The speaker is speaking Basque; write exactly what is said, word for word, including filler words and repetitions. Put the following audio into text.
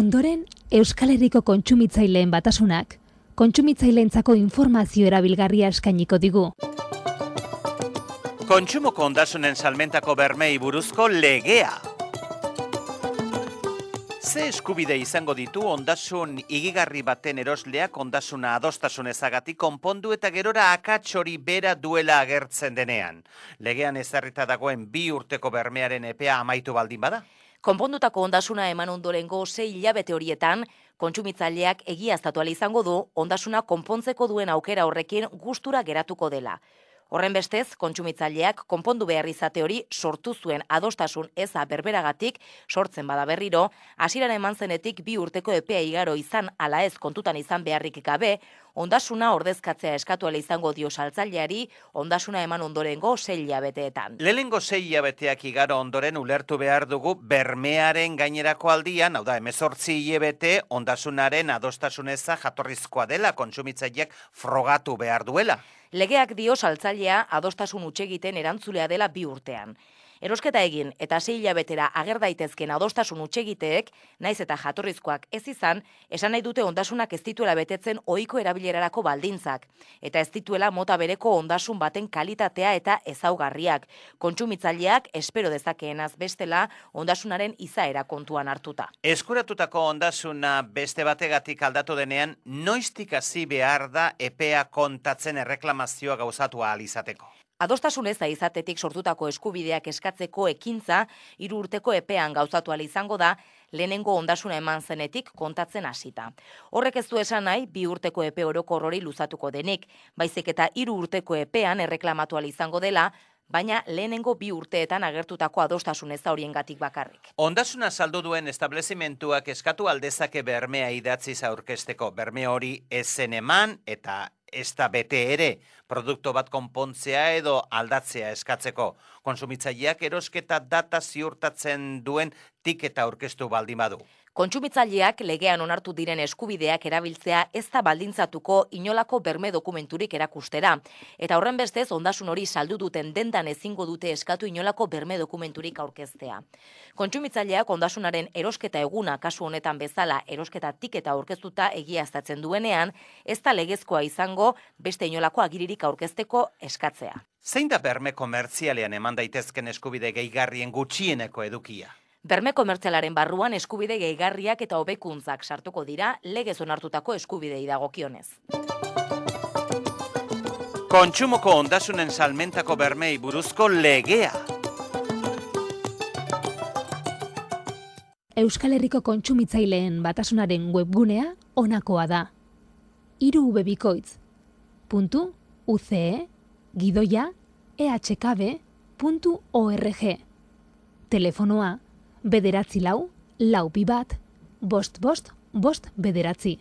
Ondoren, Euskal Herriko kontsumitzaileen batasunak, kontsumitzaileentzako informazio erabilgarria eskainiko digu. Kontsumoko ondasunen salmentako bermei buruzko legea. Ze eskubide izango ditu ondasun igigarri baten erosleak ondasuna adostasun ezagatik konpondu eta gerora akats hori bera duela agertzen denean. Legean ezarrita dagoen bi urteko bermearen epea amaitu baldin bada? Konpondutako ondasuna eman ondorengo sei hilabete horietan, kontsumitzaileak egiaztatu ahal izango du ondasuna konpontzeko duen aukera horrekin gustura geratuko dela. Horren bestez, kontsumitzaileak konpondu behar izate hori sortu zuen adostasun eza berberagatik sortzen bada berriro, hasieran eman zenetik bi urteko epea igaro izan ala ez kontutan izan beharrik gabe, ondasuna ordezkatzea eskatu ahal izango dio saltzaileari ondasuna eman ondorengo sei hilabeteetan. Lehenengo sei hilabeteak igaro ondoren ulertu behar dugu bermearen gainerako aldian, hau da, hemezortzi hilabete ondasunaren adostasun eza jatorrizkoa dela, kontsumitzaileak frogatu behar duela. Legeak dio saltzailea adostasun hutsegiten erantzulea dela bi urtean. Erosketa egin eta sei hilabetera ager daitezken adostasun hutsegiteek, naiz eta jatorrizkoak ez izan, esan nahi dute ondasunak ez dituela betetzen ohiko erabilerarako baldintzak, eta ez dituela mota bereko ondasun baten kalitatea eta ezaugarriak. Kontsumitzaileak espero dezakeenaz bestela ondasunaren izaera kontuan hartuta. Eskuratutako ondasuna beste bategatik aldatu denean, noiztik hasi behar da epea kontatzen erreklamazioa gauzatu ahal izateko? Adostasun eza izatetik sortutako eskubideak eskatzeko ekintza hiru urteko epean gauzatu ahal izango da, lehenengo ondasuna eman zenetik kontatzen hasita. Horrek ez du esan nahi bi urteko epe orokor hori luzatuko denik, baizik eta hiru urteko epean erreklamatu ahal izango dela, baina lehenengo bi urteetan agertutako adostasun eza horiengatik bakarrik. Ondasuna saldu duen establezimentuak eskatu aldezake bermea idatziz aurkezteko. Berme hori ezen eman eta ez da bete ere, produktu bat konpontzea edo aldatzea eskatzeko. Kontsumitzaileak erosketa data ziurtatzen duen tiketa aurkeztu baldin badu. Kontsumitzaileak legean onartu diren eskubideak erabiltzea ez da baldintzatuko inolako berme dokumenturik erakustera. Eta horren bestez, ondasun hori saldu duten dendan ezingo dute eskatu inolako berme dokumenturik aurkeztea. Kontsumitzaileak ondasunaren erosketa eguna kasu honetan bezala erosketa tiketa aurkeztuta egiaztatzen duenean, ez da legezkoa izango beste inolako agiririk aurkezteko eskatzea. Zein da berme komertzialean eman daitezken eskubide gehigarrien gutxieneko edukia? Berme komertzialaren barruan eskubide gehigarriak eta hobekuntzak sartuko dira legez onartutako eskubidei dagokionez. Kontsumoko ondasunen salmentako bermei buruzko legea. Euskal Herriko kontsumitzaileen batasunaren webgunea honakoa da. hiru b bikoitz puntu u c e gidoia e h k b puntu org. Telefonoa bederatzi lau, lau bi bat, bost bost, bost bederatzi.